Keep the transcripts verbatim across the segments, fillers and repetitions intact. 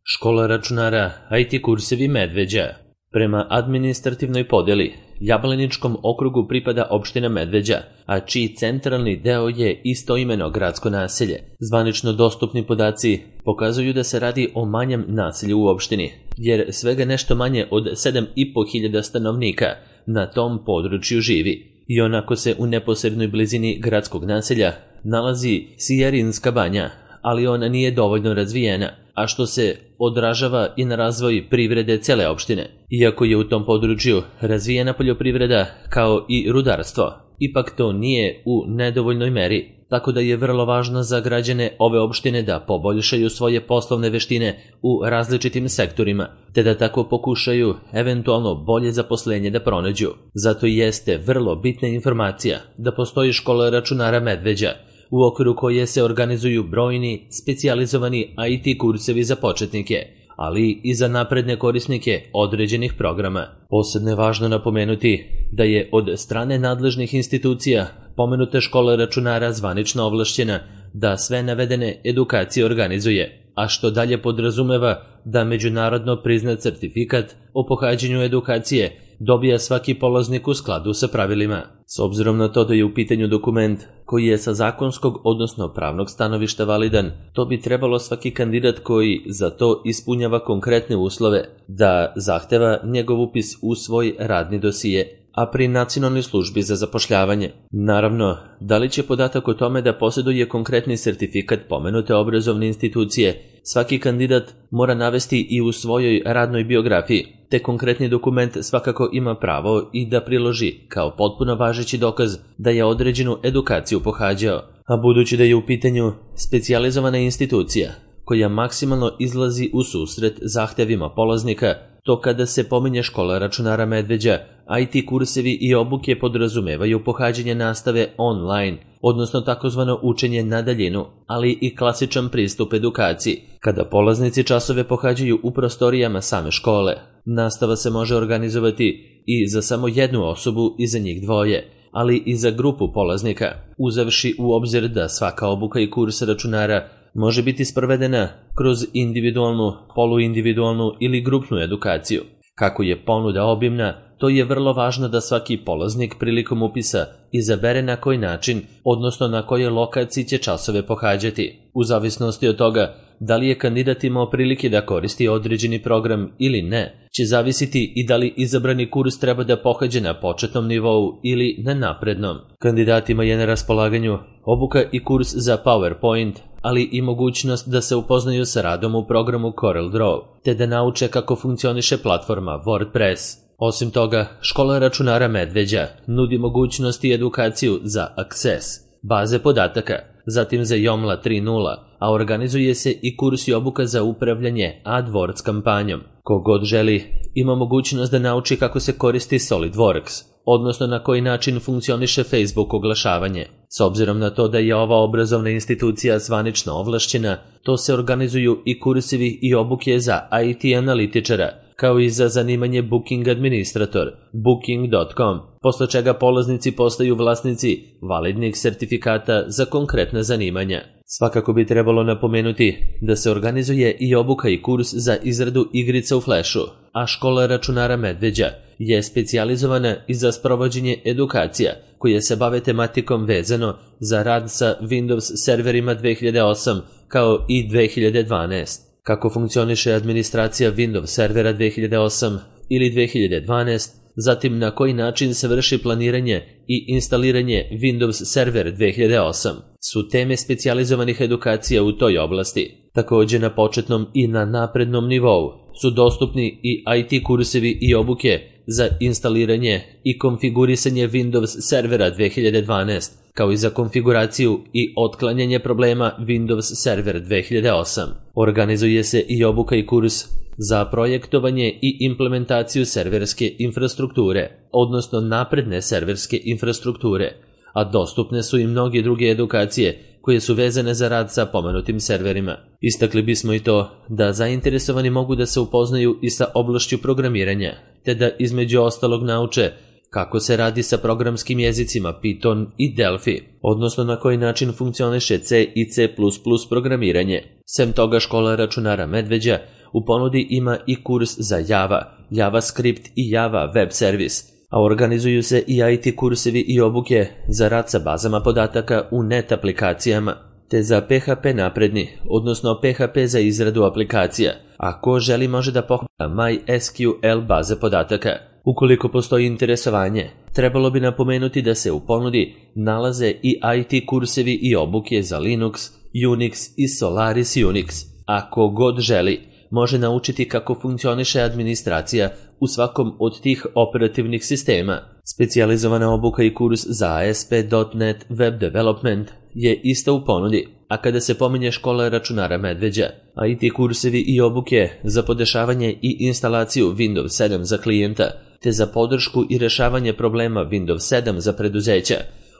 Škola računara I T kursevi Medveđa. Prema administrativnoj podeli, Jablaničkom okrugu pripada opština Medveđa, a čiji centralni deo je istoimeno gradsko naselje. Zvanično dostupni podaci pokazuju da se radi o manjem naselju u opštini, jer svega nešto manje od sedam i po hiljada stanovnika na tom području živi. I onako se u neposrednoj blizini gradskog naselja nalazi Sijarinska banja, ali ona nije dovoljno razvijena, a što se odražava i na razvoj privrede cele opštine. Iako je u tom području razvijena poljoprivreda kao i rudarstvo, ipak to nije u nedovoljnoj meri, tako da je vrlo važno za građane ove opštine da poboljšaju svoje poslovne veštine u različitim sektorima, te da tako pokušaju eventualno bolje zaposlenje da pronađu. Zato jeste vrlo bitna informacija da postoji škola računara Medveđa, u okviru koje se organizuju brojni specijalizovani I T kursevi za početnike, ali i za napredne korisnike određenih programa. Posebno je važno napomenuti da je od strane nadležnih institucija pomenuta škola računara zvanično ovlašćena da sve navedene edukacije organizuje, a što dalje podrazumeva da međunarodno priznat certifikat o pohađanju edukacije dobija svaki polaznik u skladu sa pravilima. S obzirom na to da je u pitanju dokument koji je sa zakonskog odnosno pravnog stanovišta validan, to bi trebalo svaki kandidat koji za to ispunjava konkretne uslove da zahteva njegov upis u svoj radni dosije, a pri Nacionalnoj službi za zapošljavanje. Naravno, da li će podatak o tome da posjeduje konkretni sertifikat pomenute obrazovne institucije, svaki kandidat mora navesti i u svojoj radnoj biografiji, te konkretni dokument svakako ima pravo i da priloži kao potpuno važeći dokaz da je određenu edukaciju pohađao, a budući da je u pitanju specijalizovana institucija koja maksimalno izlazi u susret zahtevima polaznika, to kada se pominje škola računara Medveđa, I T kursevi i obuke podrazumevaju pohađanje nastave online, odnosno takozvano učenje na daljinu, ali i klasičan pristup edukaciji, kada polaznici časove pohađaju u prostorijama same škole. Nastava se može organizovati i za samo jednu osobu i za njih dvoje, ali i za grupu polaznika, uzevši u obzir da svaka obuka i kurs računara može biti sprovedena kroz individualnu, poluindividualnu ili grupnu edukaciju. Kako je ponuda obimna, to je vrlo važno da svaki polaznik prilikom upisa izabere na koji način, odnosno na kojoj lokaciji će časove pohađati. U zavisnosti od toga da li je kandidat imao prilike da koristi određeni program ili ne, će zavisiti i da li izabrani kurs treba da pohađe na početnom nivou ili na naprednom. Kandidatima je na raspolaganju obuka i kurs za PowerPoint, ali i mogućnost da se upoznaju sa radom u programu CorelDRAW, te da nauče kako funkcioniše platforma WordPress. Osim toga, škola računara Medveđa nudi mogućnost i edukaciju za Access, baze podataka, zatim za Joomla tri nula, a organizuje se i kurs i obuka za upravljanje AdWords kampanjom. Kogod želi, ima mogućnost da nauči kako se koristi SolidWorks, odnosno na koji način funkcioniše Facebook oglašavanje. S obzirom na to da je ova obrazovna institucija zvanično ovlašćena, to se organizuju i kursevi i obuke za I T analitičara, kao i za zanimanje Booking administrator, booking dot com, posle čega polaznici postaju vlasnici validnih sertifikata za konkretna zanimanja. Svakako bi trebalo napomenuti da se organizuje i obuka i kurs za izradu igrica u Flashu, a škola računara Medveđa je specijalizovana i za sprovođenje edukacija koje se bave tematikom vezano za rad sa Windows serverima dve hiljade osam kao i dve hiljade dvanaest. Kako funkcioniše administracija Windows servera dve hiljade osam ili dve hiljade dvanaest, zatim na koji način se vrši planiranje i instaliranje Windows server dve hiljade osam, su teme specijalizovanih edukacija u toj oblasti. Također na početnom i na naprednom nivou su dostupni i I T kursevi i obuke za instaliranje i konfigurisanje Windows servera dve hiljade dvanaest, kao i za konfiguraciju i otklanjanje problema Windows server dve hiljade osam. Organizuje se i obuka i kurs za projektovanje i implementaciju serverske infrastrukture, odnosno napredne serverske infrastrukture, a dostupne su i mnoge druge edukacije koje su vezane za rad sa pomenutim serverima. Istakli bismo i to da zainteresovani mogu da se upoznaju i sa oblašću programiranja, te da između ostalog nauče kako se radi sa programskim jezicima Python i Delphi, odnosno na koji način funkcioniše C i C plus plus programiranje. Sem toga, škola računara Medveđa U ponudi ima i kurs za Java, JavaScript i Java web servis, a organizuju se i I T kursevi i obuke za rad sa bazama podataka u net aplikacijama, te za P H P napredni, odnosno P H P za izradu aplikacija, a ko želi može da pohađa MySQL baze podataka. Ukoliko postoji interesovanje, trebalo bi napomenuti da se u ponudi nalaze i I T kursevi i obuke za Linux, Unix i Solaris Unix. Ako god želi, može naučiti kako funkcioniše administracija u svakom od tih operativnih sistema. Specijalizovana obuka i kurs za A S P dot net Web Development je isto u ponudi, a kada se pominje škola računara Medveđa, I T kursevi i obuke za podešavanje i instalaciju Windows sedam za klijenta, te za podršku i rešavanje problema Windows sedam za preduzeća,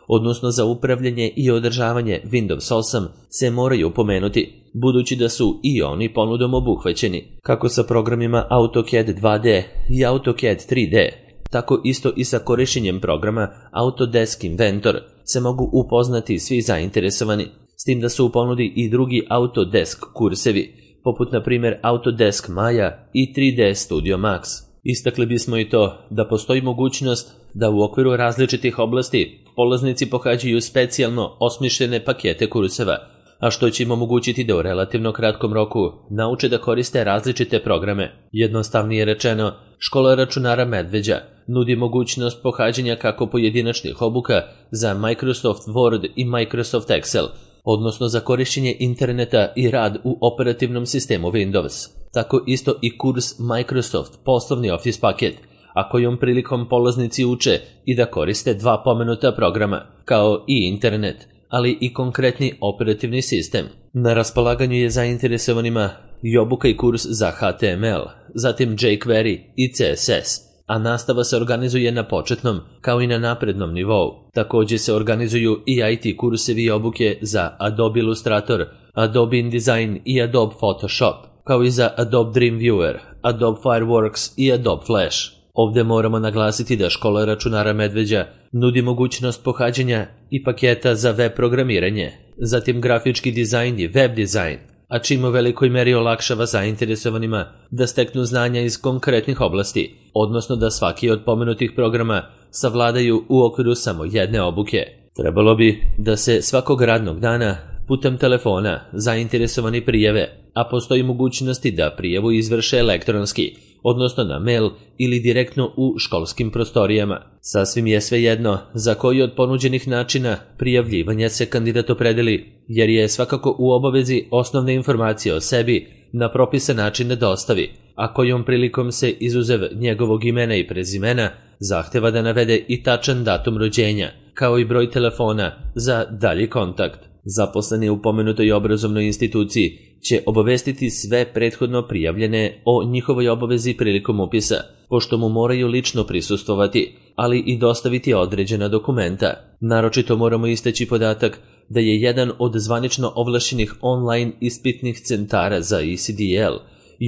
odnosno za upravljanje i održavanje Windows osam, se moraju pomenuti, budući da su i oni ponudom obuhvaćeni, kako sa programima AutoCAD dva D i AutoCAD tri D, tako isto i sa korišćenjem programa Autodesk Inventor se mogu upoznati svi zainteresovani, s tim da su u ponudi i drugi Autodesk kursevi, poput na primjer Autodesk Maya i tri D Studio Max. Istakli bismo i to da postoji mogućnost da u okviru različitih oblasti polaznici pohađaju specijalno osmišljene pakete kurseva, a što će im omogućiti da u relativno kratkom roku nauče da koriste različite programe. Jednostavnije rečeno, škola računara Medveđa nudi mogućnost pohađanja kako pojedinačnih obuka za Microsoft Word i Microsoft Excel, odnosno za korišćenje interneta i rad u operativnom sistemu Windows, tako isto i kurs Microsoft poslovni Office paket, a kojom prilikom polaznici uče i da koriste dva pomenuta programa, kao i internet, ali i konkretni operativni sistem. Na raspolaganju je zainteresovanima i obuka i kurs za H T M L, zatim jQuery i C S S, a nastava se organizuje na početnom kao i na naprednom nivou. Također se organizuju i I T kursevi i obuke za Adobe Illustrator, Adobe InDesign i Adobe Photoshop, kao i za Adobe Dreamweaver, Adobe Fireworks i Adobe Flash. Ovdje moramo naglasiti da škola računara Medveđa nudi mogućnost pohađanja i paketa za web programiranje, zatim grafički dizajn i web dizajn, a čim u velikoj meri olakšava zainteresovanima da steknu znanja iz konkretnih oblasti, odnosno da svaki od pomenutih programa savladaju u okviru samo jedne obuke. Trebalo bi da se svakog radnog dana putem telefona zainteresovani prijave, a postoji mogućnosti da prijavu izvrše elektronski, odnosno na mail ili direktno u školskim prostorijama. Sasvim je svejedno za koji od ponuđenih načina prijavljivanja se kandidat opredeli, jer je svakako u obavezi osnovne informacije o sebi na propisan način da dostavi, a kojom prilikom se izuzev njegovog imena i prezimena zahteva da navede i tačan datum rođenja, kao i broj telefona za dalji kontakt. Zaposleni u pomenutoj obrazovnoj instituciji će obavestiti sve prethodno prijavljene o njihovoj obavezi prilikom upisa, pošto mu moraju lično prisustvovati, ali i dostaviti određena dokumenta. Naročito moramo istaći podatak da je jedan od zvanično ovlašćenih online ispitnih centara za E C D L,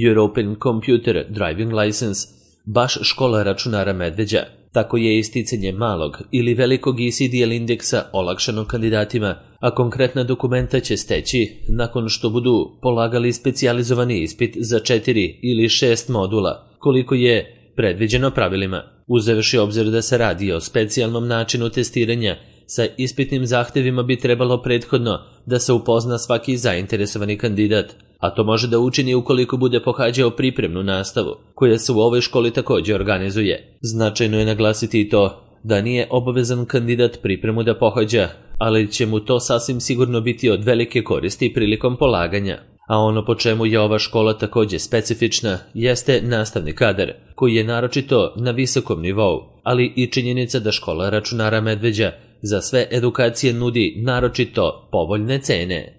European Computer Driving License, baš škola računara Medveđa. Tako je isticanje malog ili velikog E C D L indeksa olakšano kandidatima, a konkretna dokumenta će steći nakon što budu polagali specijalizovani ispit za četiri ili šest modula, koliko je predviđeno pravilima. Uzevši obzir da se radi o specijalnom načinu testiranja, sa ispitnim zahtevima bi trebalo prethodno da se upozna svaki zainteresovani kandidat, a to može da učini ukoliko bude pohađao pripremnu nastavu, koja se u ovoj školi također organizuje. Značajno je naglasiti i to da nije obavezan kandidat pripremu da pohađa, ali će mu to sasvim sigurno biti od velike koristi prilikom polaganja. A ono po čemu je ova škola također specifična jeste nastavni kadar, koji je naročito na visokom nivou, ali i činjenica da škola računara Medveđa za sve edukacije nudi naročito povoljne cene.